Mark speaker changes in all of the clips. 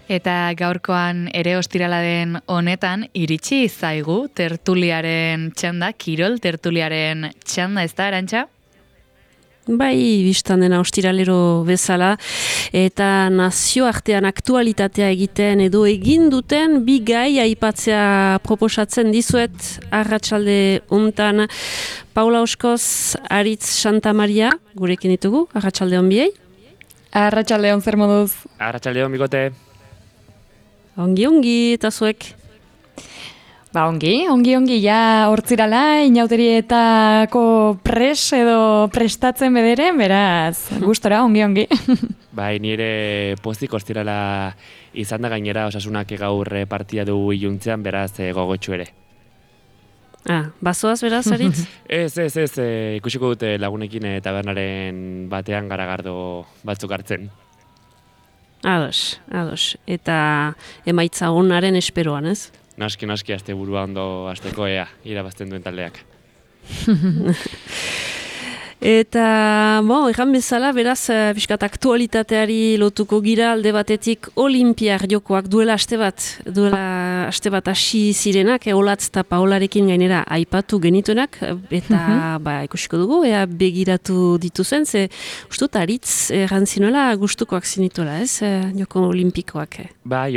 Speaker 1: Eta gaurkoan ere ostirala den honetan iritsi zaigu tertuliaren txanda, kirol tertuliaren txanda, ez da, Arantxa?
Speaker 2: Bai, biztan dena ostiralero bezala, eta nazioartean aktualitatea egiten edo egin duten bi gai aipatzea proposatzen dizuet arratsalde hontan. Paula Oskoz, Aritz Santamaria, gurekin ditugu, arratsalde hon biei.
Speaker 3: Arratsalde hon, zer moduz?
Speaker 4: Arratsalde hon, bikote.
Speaker 2: Ongi, eta zuek?
Speaker 3: Ba, ongi, ja hortzirala, inauterietako prestatzen bederen, beraz, gustora, ongi.
Speaker 4: Bai, nire pozik hortzirala izan da gainera osasunak gaur partia du iluntzean, beraz gogotxu ere.
Speaker 2: Bazoaz beraz, Aritz?
Speaker 4: Ez, ikusiko dute lagunekin tabernaren batean garagardo batzuk hartzen.
Speaker 2: Ados. Eta emaitza onaren esperoan, ez?
Speaker 4: Naski, aste burua ondo asteko irabazten duen taldeak.
Speaker 2: Eta, egan bezala, beraz, pixkat aktualitateari lotuko gira alde batetik Olinpiar jokoak duela aste bat hasi zirenak, Olatz eta Paolarekin gainera aipatu genituenak, eta ikusiko dugu, begiratu dituzen, ze ustut Aritz errantzinuela gustukoak zinituela, ez, joko olimpikoak?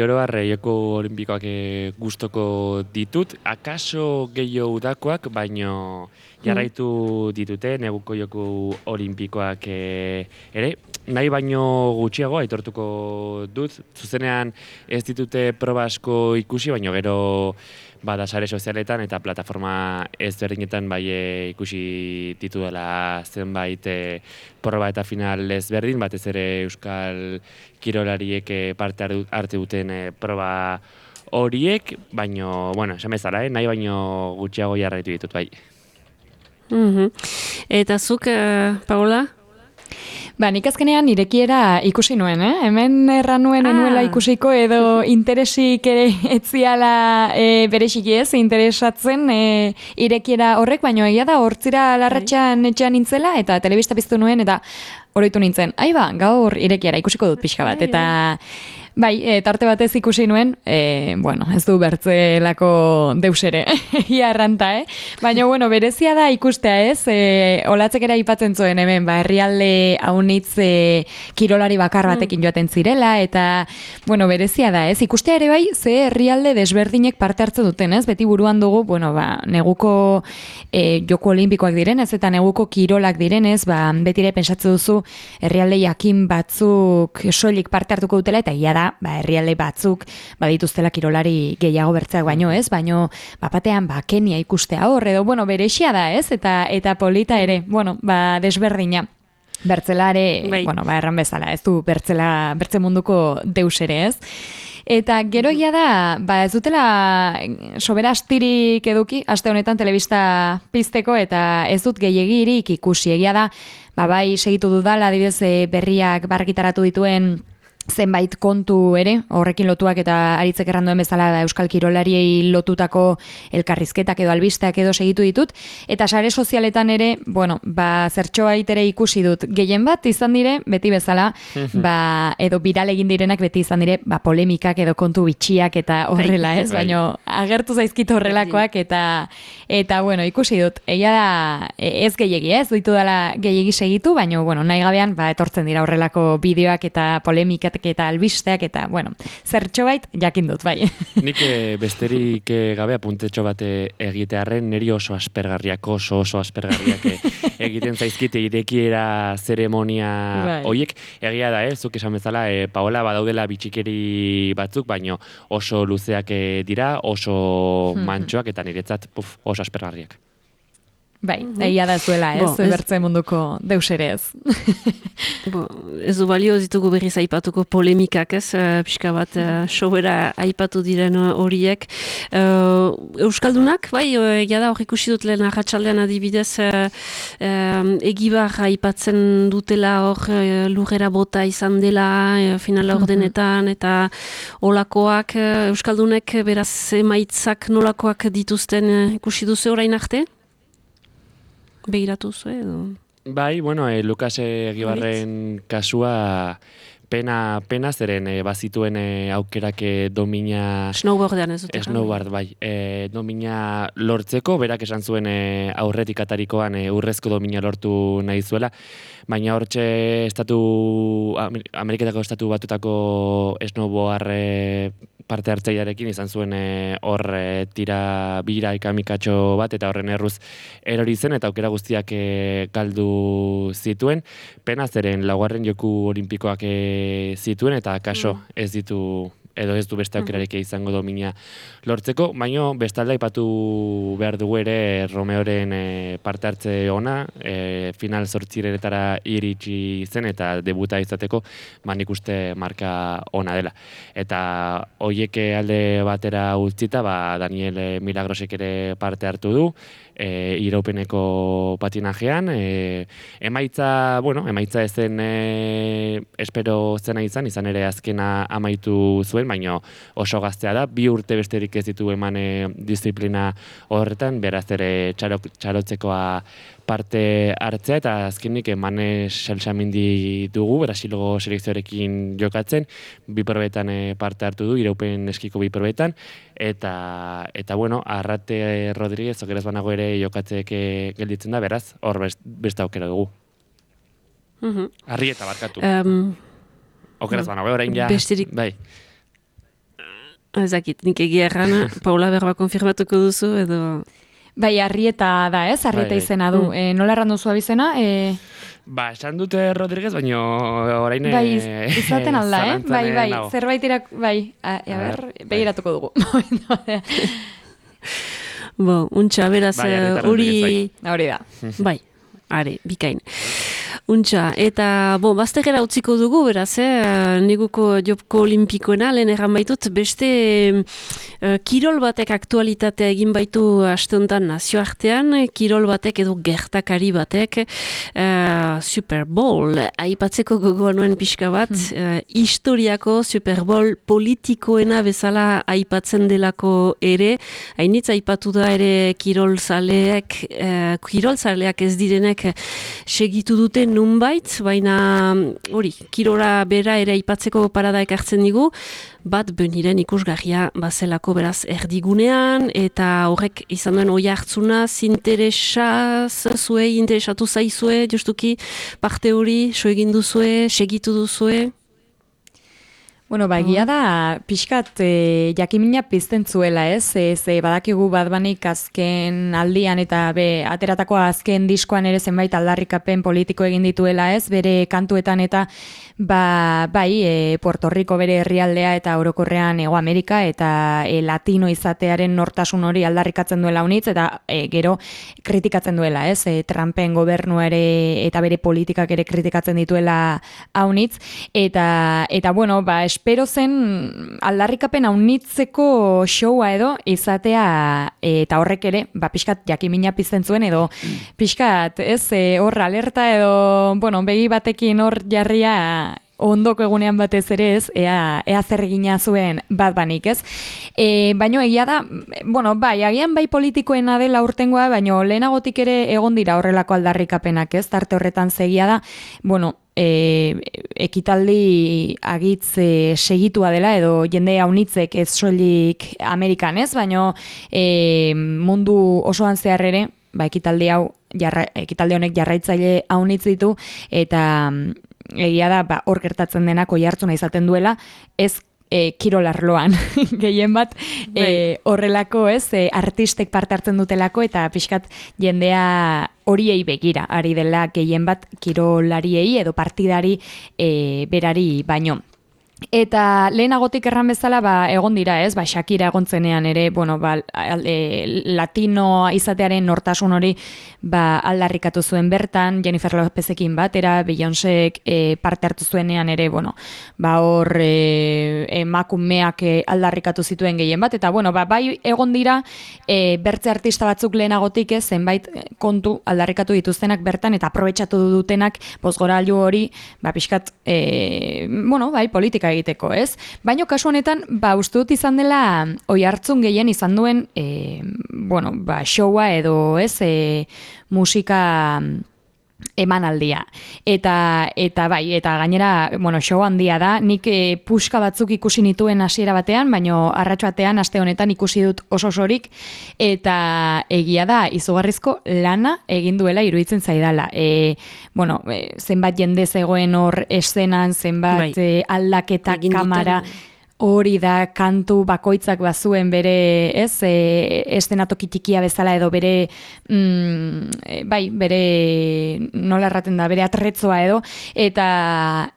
Speaker 4: Oro harre, joko olimpikoak gustuko ditut, akaso gehiago udakoak, baino jarraitu ditute, neguko joko olimpikoak ere, nahi baino gutxiago aitortuko dut, zuzenean ez ditute proba asko ikusi, baino gero bada sare sozialetan eta plataforma ezberdinetan ikusi ditudala zenbait proba eta final ezberdin, batez ere euskal kirolariek parte hartu duten proba horiek, baino, esan bezala, nahi baino gutxiago jarraitu ditut, bai.
Speaker 2: Eta zuk, Paola?
Speaker 3: Nik azkenean irekiera ikusi nuen, Hemen erran nuen enuela ikusiko edo interesik ere etziala berexiki ez, interesatzen irekiera horrek, baino egia da hortzira larratxan etxean nintzela eta telebista piztu nuen eta oroitu nintzen. Gaur irekiera ikusiko dut pixka bat, eta tarte batez ikusi nuen, ez du bertzelako deusere, ia erranta, Baina, berezia da ikustea, ez? Olatzek ere aipatzen zuen hemen, herrialde haunitz kirolari bakar batekin joaten zirela, eta, berezia da, ez? Ikustea ere bai, ze herrialde desberdinek parte hartzen duten, ez? Beti buruan dugu, neguko joko olimpikoak direnez, eta neguko kirolak direnez, betire pensatzen duzu herrialde jakin batzuk soilik parte hartuko dutela, eta ia da, herrialde batzuk badituztela kirolari gehiago bertzeak baino, ez? Baino, batean, Kenia ikustea hor, edo, berexia da, ez? Eta polita ere, desberdina. Bertzelare, erran bezala, ez du bertze munduko deus ere, ez? Eta gero da, ez dutela sobera astirik eduki, aste honetan telebista pizteko, eta ez dut gehiagirik ikusi, egia da, bai segitu dudala, adibidez berriak bargitaratu dituen zenbait kontu ere, horrekin lotuak eta Aritzek erranduen bezala euskal kirolariei lotutako elkarrizketak edo albisteak edo segitu ditut, eta sare sozialetan ere, zertxoait ere ikusi dut, gehien bat izan dire, beti bezala, edo viral egin direnak beti izan dire, polemikak edo kontu bitxiak eta horrela, ez? Baina agertu zaizkit horrelakoak eta ikusi dut, egia da, ez gehiegi, ez? Duitu dela gehiegi segitu, baina, nahi gabean, etortzen dira horrelako bideoak eta polemikak eta albisteak eta, zertxobait jakin dut, bai.
Speaker 4: Nik besterik gabe apuntetxo bat egitearren, niri oso aspergarriak egiten zaizkite irekiera zeremonia horiek. Egia da, zuk esan bezala, Paola, badaudela bitxikeri batzuk, baino oso luzeak dira, oso mantxoak eta niretzat oso aspergarriak.
Speaker 3: Egia da zuela, ez? Bertze munduko deusere ez.
Speaker 2: Ez du balio ditugu berriz aipatuko polemikak, ez? Pixka bat sobera aipatu diren horiek. Euskaldunak, egia da hor ikusi dut lehen arratsaldean adibidez Egibar aipatzen dutela hor lurrera bota izan dela finala ordenetan eta olakoak Euskaldunek beraz emaitzak nolakoak dituzten ikusi duzu orain arte? Begiratu zu edo?
Speaker 4: Bai, Lukas Egibarren kasua pena zeren bazituen aukerak domina...
Speaker 2: Snowboardean ez dut.
Speaker 4: Snowboard, bai. Domina lortzeko, berak esan zuen aurretik atarikoan urrezko domina lortu nahi zuela, baina hortxe Ameriketako estatu batutako snowboard parte hartzailearekin izan zuen hor tira bira ikamikatxo bat, eta horren erruz erori zen, eta aukera guztiak galdu zituen. Pena zeren laugarren joku olimpikoak zituen, eta kaso ez ditu edo ez du beste aukerarik izango domina lortzeko, baina bestalde aipatu behar dugu ere Romeoren parte hartze ona, final 8 iritsi zen eta debuta izateko, nik uste marka ona dela. Eta hoiek alde batera utzita, Daniel Milagrosek ere parte hartu du, iraupeneko patinajean, emaitza ezen espero zena izan ere azkena amaitu zuen, baina oso gaztea da, 2 urte besterik ez ditu eman disiplina horretan, beraz ere txarotzekoa parte hartzea, eta azkenik Manes Salsamindi dugu, Brasilgo selekzioarekin jokatzen, 2 probetan parte hartu du, iraupen eskiko 2 probetan, eta Arrate Rodríguez, okeraz banago ere jokatzek gelditzen da, beraz, hor beste aukera dugu. Arrieta barkatu. Okeraz banago, orain ja.
Speaker 2: Besterik.
Speaker 4: Bai.
Speaker 2: Ezakit, nik egia errana, Paula berba konfirmatuko duzu, edo...
Speaker 3: Bai, Arrieta da, ez? Arrieta izena du. Nola errandu zu abizena?
Speaker 4: Esan dute Rodríguez, baina orain...
Speaker 3: Bai, izaten alda, Bai, zerbait begiratuko dugu.
Speaker 2: Untxa, beraz, hori
Speaker 3: da.
Speaker 2: Bai, are, bikain. Untxa, eta bazterera utziko dugu, beraz, neguko jopko olimpikoena, lehen erran baitut, beste kirol batek aktualitatea egin baitu aste honetan nazioartean, kirol batek edo gertakari batek, Super Bowl, aipatzeko gogoa nuen pixka bat, historiako Super Bowl politikoena bezala aipatzen delako ere, hainitz aipatu da ere kirolzaleak ez direnek segitu dute nunbait, baina hori, kirora bera ere aipatzeko parada ekartzen digu, bat beniren ikusgarria bazelako beraz erdigunean, eta horrek izan duen oi hartzuna, interesatu zaizue, justuki parte hori, so egin duzue, segitu duzue?
Speaker 3: Bueno, egia da, pixkat jakimina pizten zuela, ez? Badakigu Badbanik azken aldian eta ateratako azken diskoan ere zenbait aldarrikapen politiko egin dituela, ez? Bere kantuetan eta Puerto Rico bere herrialdea eta orokorrean Hego Amerika eta latino izatearen nortasun hori aldarrikatzen duela unitz, eta gero kritikatzen duela, ez? Trumpen gobernua ere eta bere politikak ere kritikatzen dituela haunitz, eta espero zen aldarrikapen haunitzeko showa edo izatea, eta horrek ere, pixkat jakimina pizten zuen, edo pixkat, ez, hor alerta edo, begi batekin hor jarria ondoko egunean batez ere, ez, ea zer egina zuen Badbanik, ez? Baina egia da, agian bai politikoena dela urtengoa, baina lehenagotik ere egon dira horrelako aldarrikapenak, ez? Tarte horretan zegia da, ekitaldi agitz segitua dela, edo jende haunitzek ez soilik Amerikan, ez? Baina mundu osoan zehar ere, ekitaldi honek jarraitzaile haunitz ditu, eta egia da, hor gertatzen denak oihartzuna izaten duela, ez kirolarloan gehien bat horrelako, ez, artistek parte hartzen dutelako, eta pixkat jendea horiei begira, ari dela gehien bat kirolariei edo partidari berari baino. Eta lehenagotik erran bezala egon dira, ez? Shakira egontzenean ere, latino izatearen nortasun hori aldarrikatu zuen bertan, Jennifer Lopezekin batera, Beyoncék parte hartu zuenean ere, hor emakumeak aldarrikatu zituen gehien bat, eta bai egon dira bertze artista batzuk lehenagotik, ez, zenbait kontu aldarrikatu dituztenak bertan, eta aprobetxatu dutenak bozgorailu hori, pixkat, bai, politika egiteko, ez? Baina kasu honetan, uste dut izan dela oihartzun gehien izan duen showa edo, ez, musika emanaldia. Eta bai, eta gainera, show handia da, nik puska batzuk ikusi nituen hasiera batean, baino arratso batean aste honetan ikusi dut osorik, eta egia da, izugarrizko lana egin duela iruditzen zaidala. Zenbat jende zegoen hor eszenan, zenbat aldaketa kamara, hori da kantu bakoitzak bazuen bere, eszenatoki txikia bezala edo bere, bere, nola erraten da, bere atretzoa edo, eta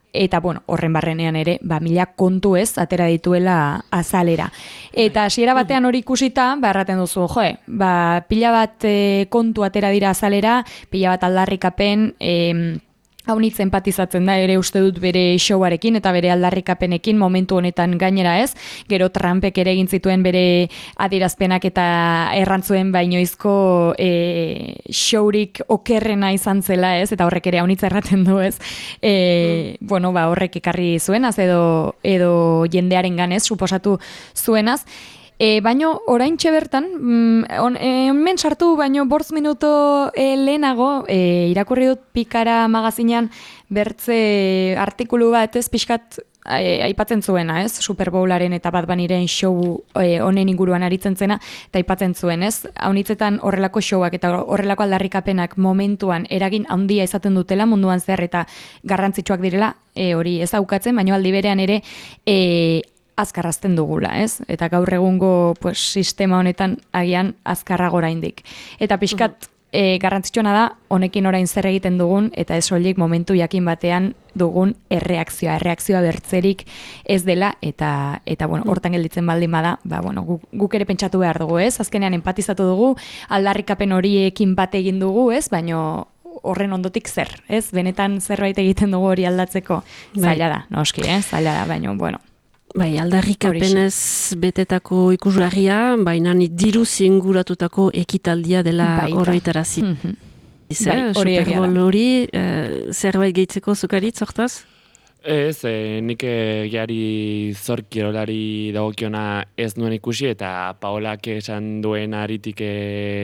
Speaker 3: horren barrenean ere, mila kontu atera dituela azalera. Eta hasiera batean hori ikusita, erraten duzu, pila bat kontu atera dira azalera, pila bat aldarrikapen, hau nitz empatizatzen da ere uste dut bere showarekin eta bere aldarrikapenekin momentu honetan gainera gero Trumpek ere egin zituen bere adierazpenak eta errantzuen bainoizko showrik okerrena izan zela eta horrek ere hau nitz erraten du horrek ekarri zuenaz edo jendearen ganez suposatu zuenaz. Baino, oraintxe bertan, hemen sartu, baino, 5 minuto lehenago, irakurri dut Pikara magazinean bertze artikulu bat, pixkat aipatzen zuena, Super Bowlaren eta Bad Bunnyren show honen inguruan aritzen zena, eta aipatzen zuen, haunitzetan horrelako showak eta horrelako aldarrikapenak momentuan eragin handia izaten dutela munduan zer eta garrantzitsuak direla, hori ez daukatzen, baino aldi berean ere, azkarrazten dugula, Eta gaur egungo sistema honetan agian azkarrago oraindik. Eta pixkat garrantzitsuena da, honekin orain zer egiten dugun, eta ez soilik momentu jakin batean dugun erreakzioa bertzerik ez dela, eta hortan gelditzen baldin bada, guk ere pentsatu behar dugu, azkenean empatizatu dugu, aldarrikapen horiekin bat egin dugu, baino horren ondotik zer, benetan zerbait egiten dugu hori aldatzeko, zaila da, noski, zaila da, baino,
Speaker 2: Bai, aldarrikapenez betetako ikusgarria, baina diruz inguratutako ekitaldia dela oroitarazi. Super Bowl hori, zerbait gehitzeko zukaritz, hortaz?
Speaker 4: Ez, nik gehiari zorkirolari dagokiona ez nuen ikusi, eta Paolak esan duen aritik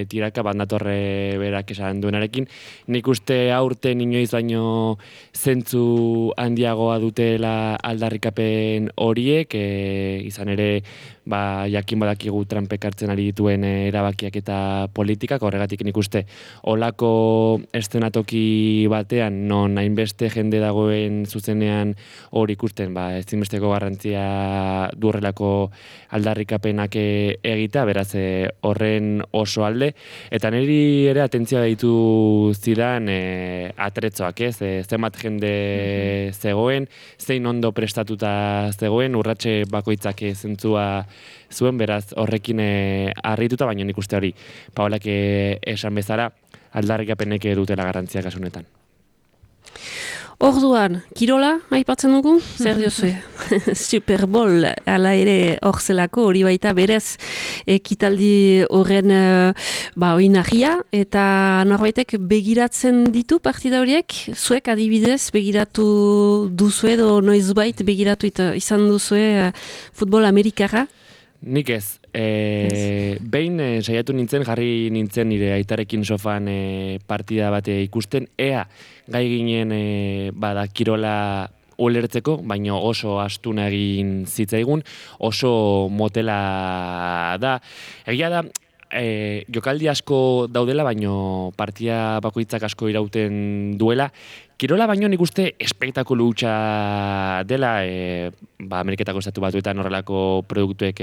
Speaker 4: tiraka, bandatorre berak esan duenarekin. Nik uste aurten inoiz baino zentzu handiagoa dutela aldarrikapen horiek, izan ere jakin badakigu Trumpek hartzen ari dituen erabakiak eta politikak, horregatik nik uste olako eszenatoki batean, non hainbeste jende dagoen zuzenean hori ikusten, ezinbesteko garrantzia durrelako aldarrikapenak egita, beraz horren oso alde, eta niri ere atentzioa ditu zidan atretzoak, zenbat jende zegoen, zein ondo prestatuta zegoen, urratxe bakoitzak zentzua zuen, beraz horrekin harrituta, baina nik uste hori Paolak esan bezala aldarrikapenek dutela garrantzia kasunetan.
Speaker 2: Orduan, kirola, aipatzen dugu? Zer diozue? Super Bowl, ala ere horzelako, hori baita berez ekitaldi horren oinarria, eta norbaitek begiratzen ditu partida horiek? Zuek adibidez begiratu duzue edo noizbait begiratu izan duzue futbol amerikarra?
Speaker 4: Nik ez. Behin saiatu nintzen, jarri nintzen nire aitarekin sofan partida bate ikusten, ea gai ginen kirola ulertzeko, baina oso astuna egin zitzaigun, oso motela da. Egia da, jokaldi asko daudela, baino partida bakoitzak asko irauten duela. Kirola baino nik uste espektakulu hutsa dela, Ameriketako estatu batuetan horrelako produktuek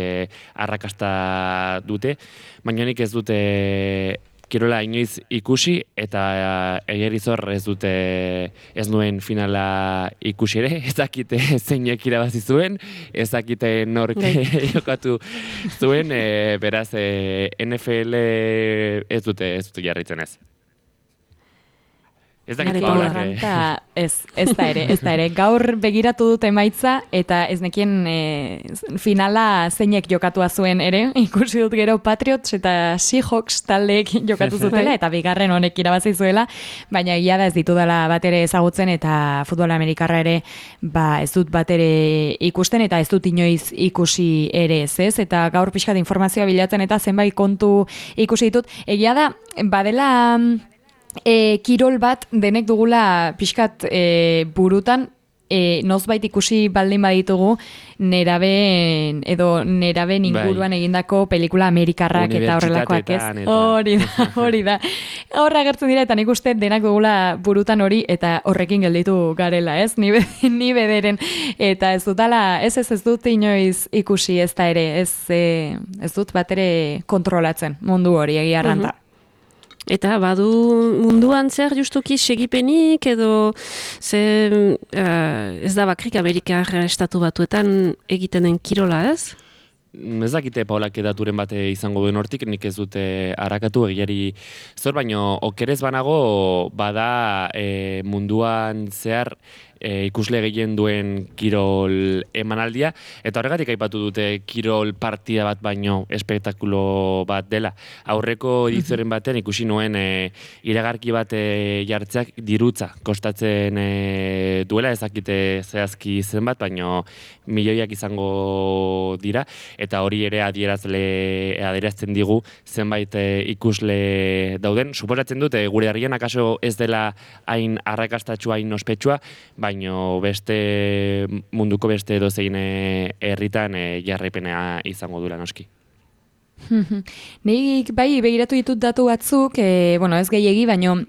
Speaker 4: arrakasta dute, baina nik ez dute kirola inoiz ikusi, eta egerizor ez nuen finala ikusi ere, ez dakite zeinek irabazi zuen, ez dakite nork jokatu zuen, beraz NFL ez dute jarraitzen ez. Ez dakit Paolak.
Speaker 3: Ez da ere. Gaur begiratu dut emaitza, eta ez nekien finala zeinek jokatua zuen ere. Ikusi dut gero Patriots eta Seahawks taldeek jokatu zutela, eta bigarren honek irabazi zuela, baina egia da ez ditudala bat ere ezagutzen, eta futbol amerikarra ere ez dut bat ere ikusten, eta ez dut inoiz ikusi ere ez, eta gaur pixkat informazioa bilatzen, eta zenbait kontu ikusi ditut. Egia da, badela kirol bat denek dugula pixkat burutan, nozbait ikusi baldin baditugu neraben inguruan egindako pelikula amerikarrak eta horrelakoak, ez? Hori da. Horra agertzen dira eta nik uste denak dugula burutan hori eta horrekin gelditu garela, ez? Ni bederen. Eta ez dut inoiz ikusi ez da ere, ez dut bat ere kontrolatzen mundu hori egia arranta.
Speaker 2: Eta badu munduan zer justuki segipenik edo ez da bakrik Amerikar estatu batuetan egiten den kirola, ez?
Speaker 4: Ez dakite Paulak daturen bate izango duen hortik, nik ez dute harakatu egiari zor, baino okerez banago bada munduan zehar ikusle gehien duen kirol emanaldia, eta horregatik aipatu dute kirol partida bat baino espektakulo bat dela. Aurreko edizioaren batean ikusi nuen iragarki bat jartzeak dirutza kostatzen duela, ez dakite zehazki zenbat, baino milioiak izango dira, eta hori ere adierazten digu zenbait ikusle dauden. Suposatzen dute gure herrian akaso ez dela hain arrakastatsua, hain ospetsua, baino munduko beste edozein herritan jarraipena izango dula noski.
Speaker 3: Nik bai begiratu ditut datu batzuk, ez gehiegi, baino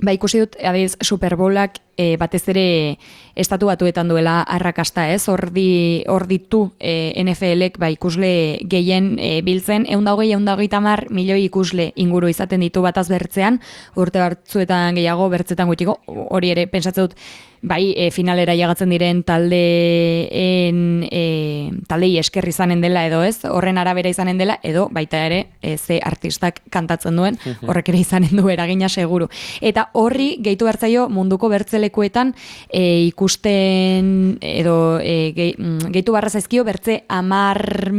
Speaker 3: ikusi dut adibidez Super Bowlak batez ere estatu batuetan duela arrakasta, ez? Hor ditu NFL-ek ikusle gehien biltzen, 120-130 milioi ikusle inguru izaten ditu bataz bertzean, urte batzuetan gehiago, bertzetan gutxiko, hori ere pentsatzen dut, finalera jagatzen diren taldei esker izanen dela edo ez, horren arabera izanen dela, edo baita ere ze artistak kantatzen duen, horrek ere izanen du eragina seguru. Eta horri gehitu bertzaio munduko bertzelekuetan ikusten edo gehitu barra zaizkio bertze 10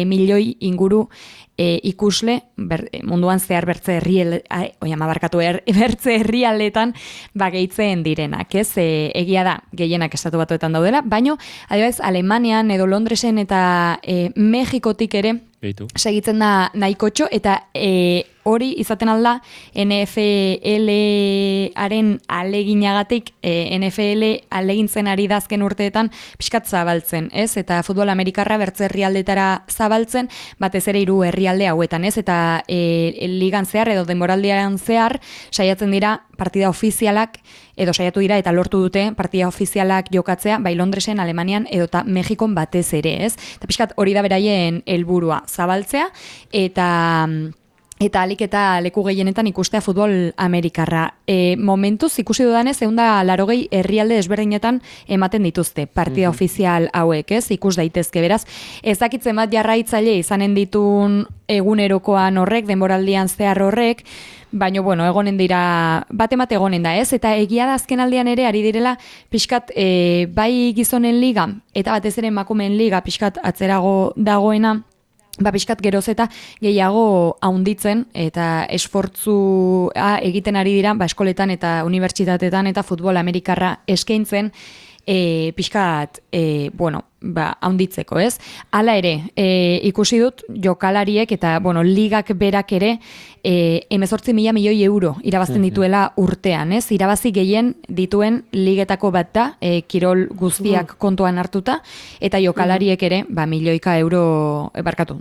Speaker 3: milioi inguru ikusle munduan zehar bertze herrialdetan gehitzen direnak, ez? Egia da, gehienak estatu batuetan daudela, baino adibidez Alemanian edo Londresen eta Mexikotik ere segitzen da nahikotxo, eta hori izaten alda NFL-aren aleginagatik, NFL alegintzen ari dazken urteetan pixkat zabaltzen, ez? Eta futbol amerikarra bertze herrialdetara zabaltzen, batez ere 3 herrialde hauetan, ez? Eta ligan zehar edo denboraldian zehar saiatzen dira partida ofizialak, edo saiatu dira eta lortu dute partida ofizialak jokatzea, Londresen, Alemanian edo eta Mexikon batez ere, ez? Eta pixkat hori da beraien helburua, zabaltzea, eta alik eta leku gehienetan ikustea futbol amerikarra. Momentuz ikusi dudanez, 180 herrialde desberdinetan ematen dituzte partida ofizial hauek, ez? Ikus daitezke, beraz. Ez dakitzen bat jarraitzaile izanen ditun egunerokoan horrek, denboraldian zehar horrek, baina, egonen dira, bat egonen da, ez? Eta egia da azken aldean ere, ari direla, pixkat, bai gizonen liga, eta batez ere emakumeen liga, pixkat atzerago dagoena, pixkat geroz eta gehiago haunditzen, eta esfortzua egiten ari dira, eskoletan eta unibertsitatetan eta futbol amerikarra eskaintzen, pixkat, haunditzeko, ez? Hala ere, ikusi dut jokalariek eta, ligak berak ere 18.000 milioi euro irabazten dituela urtean, ez? Irabazi gehien dituen ligetako bat da, kirol guztiak kontuan hartuta, eta jokalariek ere, milioika euro,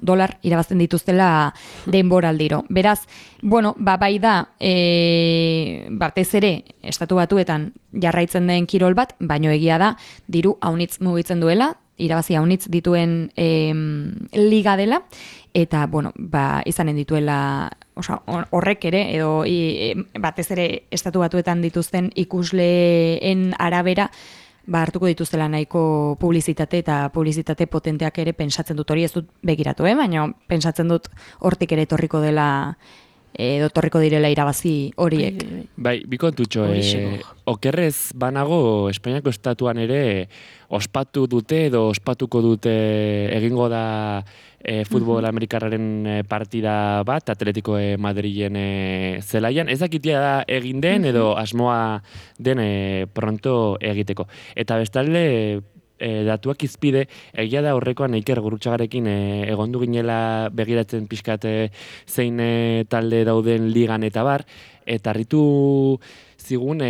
Speaker 3: dolar irabazten dituztela denboraldiro. Beraz, bai da, batez ere, estatu batuetan jarraitzen den kirol bat, baino egia da, diru haunitz mugitzen duela, irabazi haunitz dituen liga dela, eta, izanen dituela, horrek ere, edo batez ere estatu batuetan dituzten ikusleen arabera, hartuko dituztela nahiko publizitate eta publizitate potenteak ere pentsatzen dut, hori ez dut begiratu, baina pentsatzen dut hortik ere torriko dela, edo torriko direla irabazi horiek.
Speaker 4: Bi kontutxo, okerrez banago Espainiako estatuan ere ospatu dute edo ospatuko dute egingo da futbol amerikarraren partida bat, Atletico Madrilen zelaian. Ez dakitia da egin den edo asmoa den pronto egiteko. Eta bestalde, datuak izpide, egia da horrekoan Iker Gurrutxagarekin egondu ginela begiratzen pixkat zein talde dauden ligan eta bar, eta harritu zigun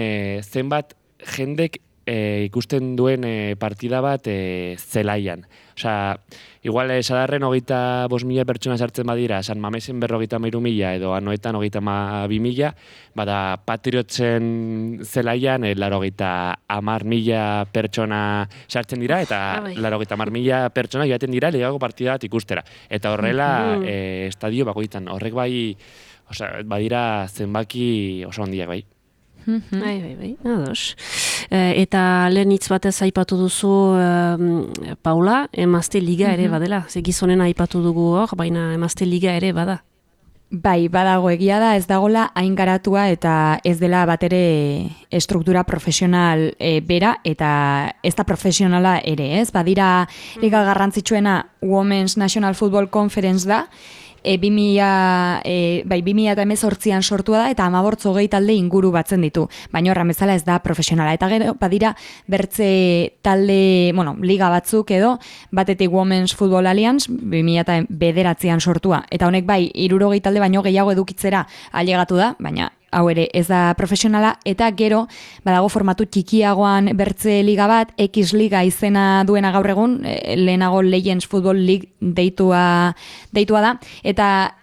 Speaker 4: zenbat jendek ikusten duen partida bat zelaian. Osea, igual Sadarren 25.000 pertsona sartzen badira, San Mamesen 53.000 edo Anoetan 32.000, bada Patriotzen zelaian 80.000 pertsona sartzen dira, eta 80.000 pertsona joaten dira ligago partida bat ikustera. Eta horrela estadio bakoitzan, horrek bai, osea, badira zenbaki oso handiak bai.
Speaker 2: Bai, ados. Eta lehen hitz batez aipatu duzu Paula, emazte liga ere badela. Ze gizonen aipatu dugu hor, baina emazte liga ere bada.
Speaker 3: Bai, badago egia da, ez dagola hain garatua eta ez dela batere estruktura profesional bera eta ez da profesionala ere, ez? Badira liga garrantzitsuena Women's National Football Conference da, 2018an sortua da eta 18 talde inguru batzen ditu. Baina horren bezala ez da profesionala. Eta gero badira bertze talde, liga batzuk edo, batetik Women's Football Alliance 2009an sortua. Eta honek bai, 60 talde baino gehiago edukitzera ailegatu da, baina hau ere ez da profesionala, eta gero badago formatu txikiagoan bertze liga bat, X Liga izena duena gaur egun, lehenago Legends Football League deitua da, eta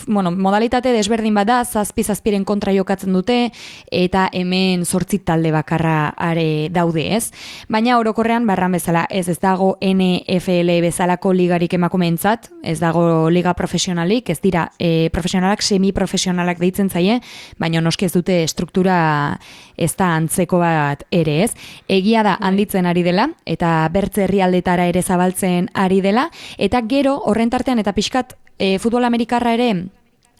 Speaker 3: modalitate desberdin bat da, zazpiren kontra jokatzen dute, eta hemen 8 talde bakarra are daude, ez? Baina orokorrean barran bezala, ez dago NFL bezalako ligarik emakumeentzat, ez dago liga profesionalik, ez dira profesionalak, semi-profesionalak deitzen zaie, baina noski ez dute struktura ez da antzeko bat ere, ez? Egia da handitzen ari dela, eta bertze herrialdetara ere zabaltzen ari dela, eta gero horren tartean eta pixkat futbol amerikarra ere,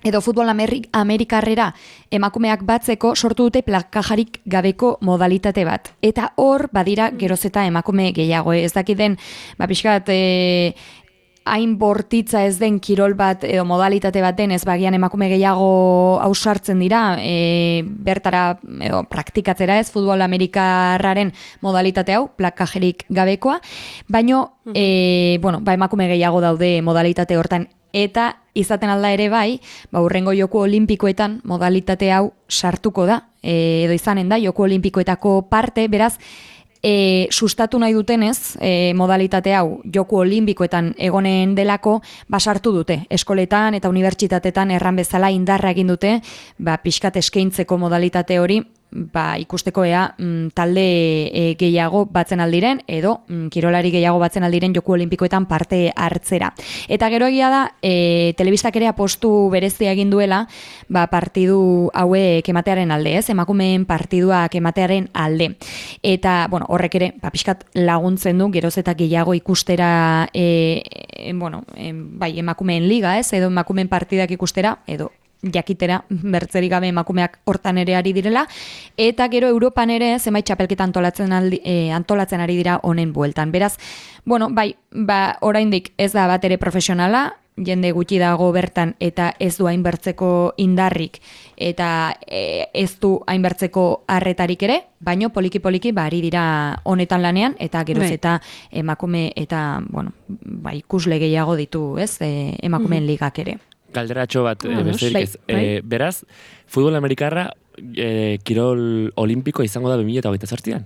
Speaker 3: edo futbol amerikarrera emakumeak batzeko sortu dute plakajarik gabeko modalitate bat. Eta hor badira geroz eta emakume gehiago. Ez dakiten, pixkat hain bortitza ez den kirol bat edo modalitate bat den, ez bagian emakume gehiago ausartzen dira, bertara edo praktikatzera ez, futbol amerikarraren modalitate hau, plakajerik gabekoa, baino, emakume gehiago daude modalitate hortan, eta izaten alda ere bai, hurrengo Joko Olimpikoetan modalitate hau sartuko da, edo izanen da Joko Olimpikoetako parte, beraz, sustatu nahi dutenez, modalitate hau Joko Olimpikoetan egonen delako, basartu dute. Eskoletan eta unibertsitatetan erran bezala indarra egin dute, pixkat eskaintzeko modalitate hori, ikusteko talde gehiago batzen aldiren, edo kirolari gehiago batzen aldiren Joko Olimpikoetan parte hartzera. Eta gero egia da, telebistak ere apostu berezia egin duela, partidu hauek ematearen alde, ez? Emakumeen partiduak ematearen alde. Eta, horrek ere, pixkat laguntzen du, geroz eta gehiago ikustera, emakumeen liga, ez? Edo emakumeen partidak ikustera, edo jakitera bertzerik gabe emakumeak hortan ere ari direla, eta gero Europan ere zenbait txapelketa antolatzen ari dira honen bueltan. Beraz, oraindik ez da bat ere profesionala, jende gutxi dago bertan eta ez du hainbertzeko indarrik eta ez du hainbertzeko arretarik ere, baino poliki-poliki ari dira honetan lanean, eta geroz eta emakume eta ikusle gehiago ditu, ez, emakumeen ligak ere.
Speaker 4: Galderatxo bat, besterik ez. Beraz, futbol amerikarra kirol olimpiko izango da 2028an?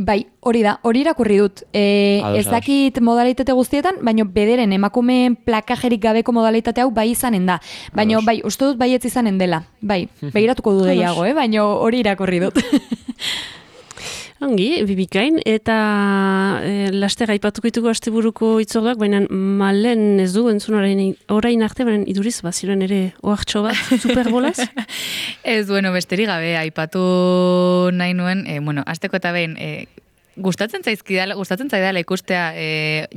Speaker 3: Bai, hori da, hori irakurri dut. Ez dakit modalitate guztietan, baina bederen emakumeen plakajerik gabeko modalitate hau bai izanen da. Baina uste dut baietz izanen dela. Bai, begiratuko du gehiago, baina hori irakurri dut.
Speaker 2: Ongi, bibikain, eta laster aipatuko ditugu asteburuko itzorduak, baina malen ez du entzun orain arte, baina iduriz, ziren ere oartxo bat, superbolaz?
Speaker 1: Ez, besterik gabe, aipatu nahi nuen, asteko eta behin, gustatzen zaidala ikustea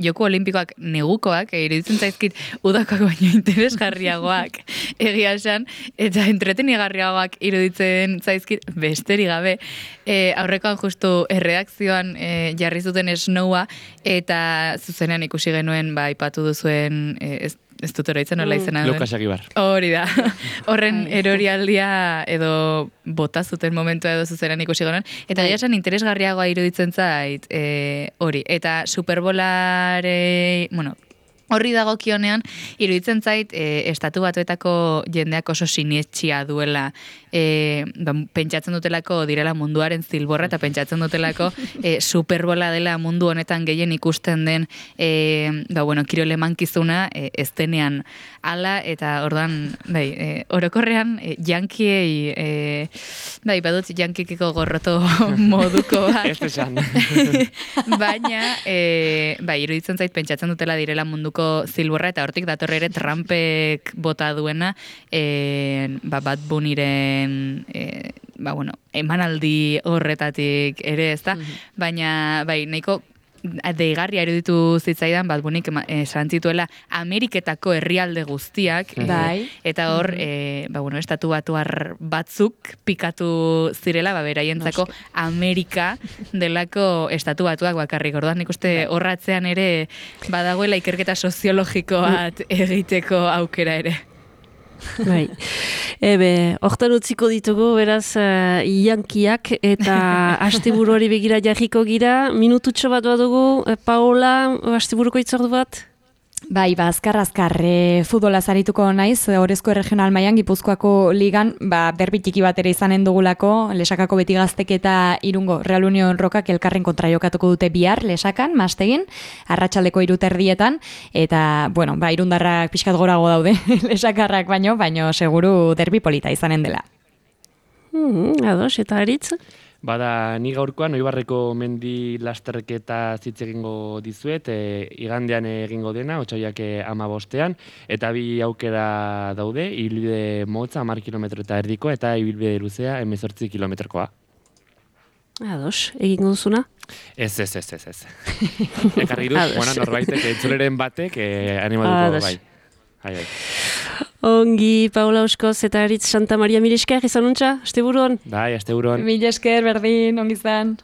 Speaker 1: Joko Olimpikoak negukoak, iruditzen zaizkit udakoak baino interesgarriagoak egia esan, eta entretenigarriagoak iruditzen zaizkit besterik gabe. Aurrekoan justu erredakzioan jarri zuten Snowa, eta zuzenean ikusi genuen aipatu duzuen ez dut oroitzen nola izena duen.
Speaker 4: Lukas Agibar.
Speaker 1: Hori da. Horren erorialdia edo bota zuten momentua edo zuzeran ikusi gonan. Eta esan interesgarriagoa iruditzen zait hori. Eta Superbolare, horri dagokionean, iruditzen zait, estatu batuetako jendeak oso sinetxia duela, pentsatzen dutelako direla munduaren zilborra, eta pentsatzen dutelako Superbola dela mundu honetan gehien ikusten den, kirole mankizuna, ez denean ala, eta ordan, orokorrean, jankiei, badut jankikiko gorroto moduko bat.
Speaker 4: Ez esan.
Speaker 1: Baina, iruditzen zait, pentsatzen dutela direla munduko zilborra, eta hortik datorre ere Trumpek bota duena, Bad Bunnyren emanaldi horretatik ere, ez da? Baina, nahiko deigarria eruditu zitzaidan, Bad Bunnyk esan zituela Ameriketako herrialde guztiak, eta hor, estatu batuar batzuk pikatu zirela, beraientzako Amerika delako estatu batuak bakarrik. Orduan, nik uste horratzean ere badagoela ikerketa soziologiko bat egiteko aukera ere.
Speaker 2: Bai. Hortan utziko ditugu, beraz, jankiak eta asteburuari begira jarriko gira. Minututxo bat badugu, Paola, asteburuko itzordu bat?
Speaker 3: Bai, azkar, futbola zarituko naiz, Orezko Regional mailan Gipuzkoako ligan, derbi txiki bat ere izanen dugulako, Lesakako Beti Gaztek eta Irungo Real Union Rokak elkarren kontra jokatuko dute bihar, Lesakan, Mastegin, arratsaldeko 3:00, eta, irundarrak pixkat gorago daude, Lesakarrak baino seguru derbi polita izanen dela.
Speaker 2: Ados, eta Aritz?
Speaker 4: Bada, ni gaurkoan Oibarreko mendi lasterketa hitz egingo dizuet, igandean egingo dena, otsailak 15ean, eta bi aukera daude, ibilbide motza 10 kilometro eta erdiko, eta ibilbide luzea 18 kilometrokoa.
Speaker 2: Ados, egingo duzuna?
Speaker 4: Ez. Ekarri dut, norbaitek, entzuleren batek, animatuko bai.
Speaker 2: Ongi, Paula Euskoz eta Aritz Santa Maria, mil esker, izan untxa, asteburuan?
Speaker 4: Bai, asteburuan.
Speaker 3: Mil esker, berdin, ongi izan.